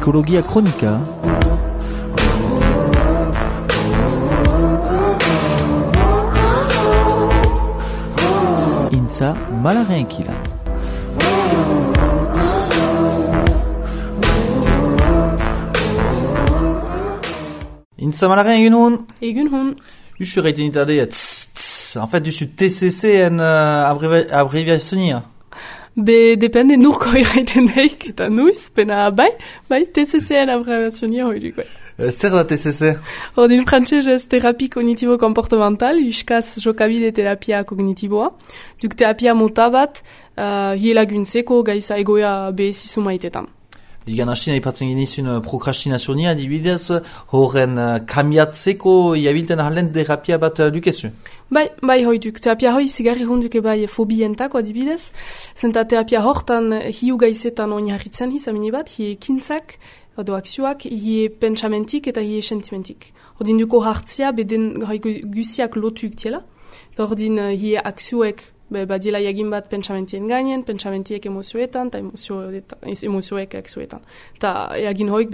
Psikologia kronika. Intza malaren ekila. Intza malaren egun hon. Egun hon. Duzu reiten itade, en fait, duzu TCC en abreviazionia. Be depende nurko irraiten daik eta nuiz, pena bai TCC en abreviazionia hoiduk, bai. Zer da TCC? Ordin frantsesez terapia kognitibo-komportamental, euskaz jokabide terapia kognitiboa. Duk terapia mota bat, hielaguntzeko gaiza egoea behezizu maitetan. Igan hastien aipatzen genizun prokrastinazionia, adibidez, horren kambiatzeko iabilten ahalen terapia bat dukezu? Bai hoiduk. Terapia hoi zigarri honduke bai fobientako adibidez. Zenta terapia hortan hiu gaizetan oinarritzen amini bat, hie ekintzak, edo akzioak, hie pentsamentik eta hie sentimentik. Ordin duko hartzia beden guziak lotuik tiela. Ordin hie akzioek badiela jagin bat pentsamentien gainen, pentsamentiek emozioetan, eta emozioek akzioetan. Eta jagin hoik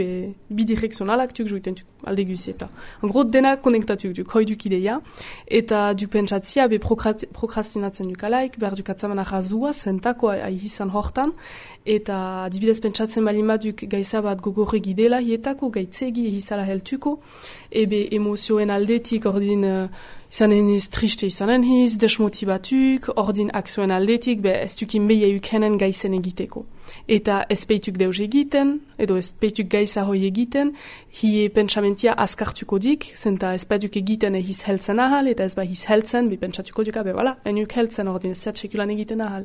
bidirekzionalak tuk juiten tuk alde guzieta. En gros, denak konektatuk duk, hoiduk ideia, eta duk pentsatzia prokrastinatzen dukalaik, behar duk atzaman ahazua, zentako aihizan hortan, eta adibidez pentsatzen balin baduk gaiza bat gogorrek idela hietako, gaitzegi ehizala heltuko, ebe emozioen aldetik ordin izanen hiz, triste izanen hiz, desmotibatuk, ordin akzioen aldetik, ez dukin behi eukenen gaizen egiteko. Eta ez peituk deus egiten, edo ez peituk gaiza hoi egiten, hie pentsamentia askartuko dik, zenta ez peduk egiten ehiz heltzen ahal, eta ez hiz heltzen, pentsatuko duk, enuk heltzen, ordin ez sekulan egiten ahal.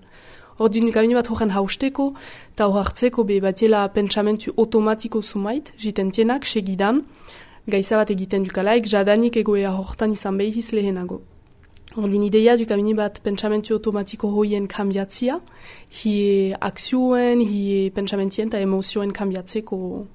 Ordin kabini bat horren hausteko, eta horartzeko batiela pentsamentu automatiko sumait, jitentienak, segidan, gaiza bat egiten dukalaik, jadanik egoea hortan izan behiz lehenago. Ordin ideia dukamini bat pentsamentu automatiko hoien kambiatzia, hie akzioen, hie pentsamentien eta emozioen kambiatzeko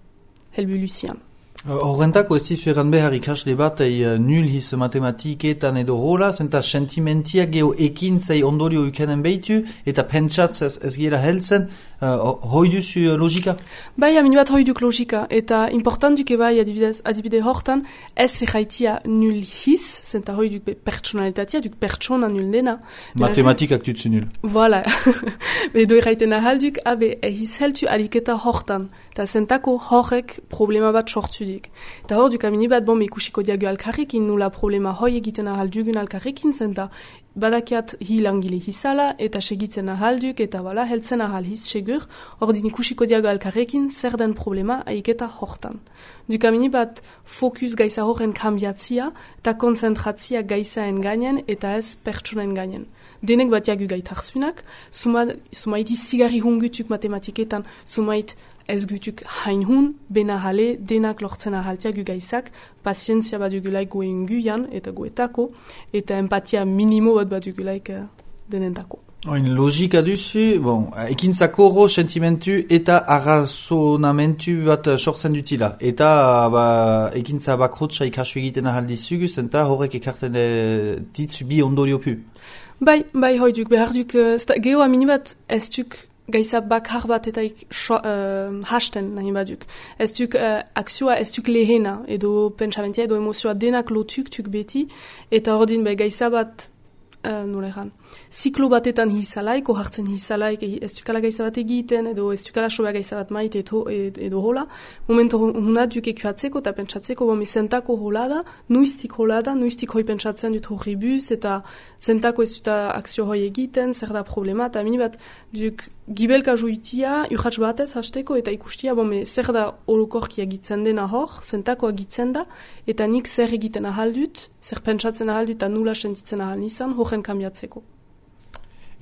helbuluzian. Horrentako ez dizu eran behar ikasle bat nul hiz matematiketan edo hola, zenta sentimentia geho ekintzei ondorio ukenen behitu, eta pentsatz ez gira heltzen, hoi duzu logika? Bai, amini bat hoi duk logika, eta important duke bai adibide hortan, ez erraitia nul hiz, zenta hoi duk pertsonalitatea, duk pertsona nul dena. Matematikak dutzu nul. Voilà. Edo erraiten ahalduk, ehiz heltu aliketa hortan, eta zentako horrek problema bat sortu dik. Eta hor duk amini bat ikusiko diago alkarrekin, nula problema hoi egiten ahaldugun alkarrekin, zenta badakiat hilangile hizala, eta segitzen ahalduk, eta heltzen ahal hiz segur, ordin ikusiko diago alkarrekin, zer den problema aiketa hortan. Duk amini bat fokus gaiza horren kambiatzia, eta konzentratzia gaizaen gainen, eta ez pertsonen gainen. Denek bat jagu gaitarzunak, sumait izigarri hungutuk matematiketan, sumait ez gutuk hain hun, bena jale, denak lortzen ahaltiagu gaizak, pazientzia bat dugulaik goen guian, eta goetako, eta empatia minimo bat dugulaik denentako. Oin logika duzu, ekintzako horro sentimentu eta arrazonamentu bat sortzen dutila. Eta ekintza bakrotsa ikasu egiten ahaldizugu, zenta horrek ekarten ditzu bi ondorio pu. Bai, hoiduk, behar duk, geho amini bat ez duk gaiza bakar bat eta hasten nahi baduk. Ez duk akzioa ez duk lehena, edo pentsamentia, edo emozioa denak lotuk tuk beti, eta ordin gaiza bat, ziklo batetan hizalaik, ohartzen hizalaik, ez dukala gaiza bat egiten, edo ez dukala soba gaiza bat maite edo hola. Momento hona duk ekuatzeko eta pentsatzeko, zentako hola da, nuiztik hoi pentsatzen dut horri buz, eta zentako ez duta akzio hoi egiten, zer da problema, eta mini bat duk gibelka joitia, urratz batez hasteko, eta ikustia, zer da orokorki egitzen dena hor, zentako egitzen da, eta nik zer egiten ahaldut, zer pentsatzen ahaldut, eta nula sentitzen ahal nizan, horren kambiatzeko.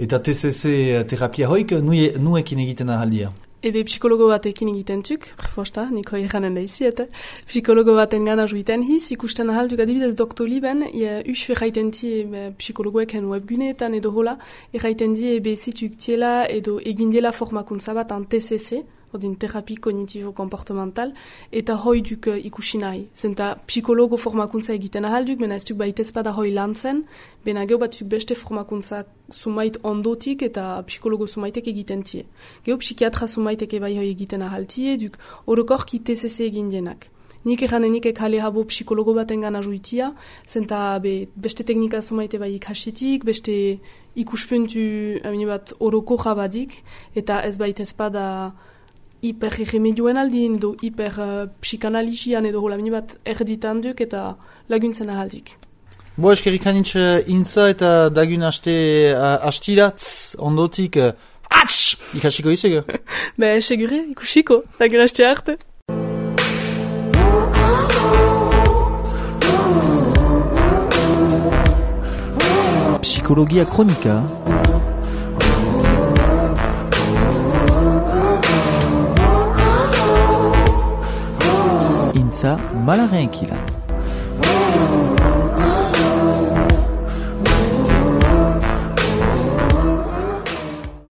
Eta TCC terapia hoik nuekin egiten ahaldia? Ebe psikologo batekin egiten tuk, prefosta, niko eranen da izi, eta psikologo baten gana juiten hiz, ikusten ahalduk adibidez Doktoliben, usu erraiten di psikologoeken webguneetan edo hola, erraiten di ebe zituk tiela edo egin dela formakuntza bat an TCC, odin terapi kognitibo-komportamental, eta hoi duk ikusi nahi. Zenta psikologo formakuntza egiten ahalduk, mena ez duk baitez bada hoi lan zen, bena geu bat beste formakuntza sumait ondotik eta psikologo sumaitek egiten tie. Geu psikiatra sumaitek bai hoi egiten ahaltie, duk orokorki TCC egin denak. Nik eranenik ekale habo psikologo baten gana juitia, zenta beste teknika sumaite bai ikasitik, beste ikuspuntu bat oroko jabadik, eta ez baitez bada hiper-remedioen aldin, edo hiper-psikanalizian edo hola bat erditan duk eta laguntzen ahaldik. Bo eskerrik anitz intza eta dagun astiratz ondotik ikasiko izego? Segure, ikusiko, dagun aste arte. Psikologia kronika Intza Malaren Kilan.